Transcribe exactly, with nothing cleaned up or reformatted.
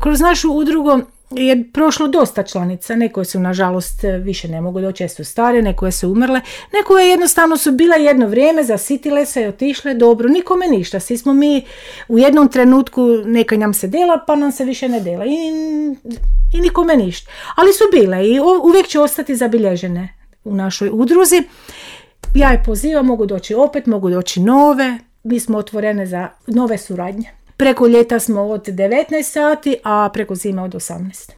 kroz našu udrugu je prošlo dosta članica, neko su nažalost više ne mogu doći, su stare, neko su umrle, neko je jednostavno su bile jedno vrijeme, zasitile se i otišle, dobro, nikome ništa, svi smo mi u jednom trenutku, neka nam se dela, pa nam se više ne dela i, i nikome ništa, ali su bile i uvijek će ostati zabilježene u našoj udruzi. Ja je pozivam, mogu doći opet, mogu doći nove, mi smo otvorene za nove suradnje. Preko ljeta smo od devetnaest sati, a preko zime od osamnaest.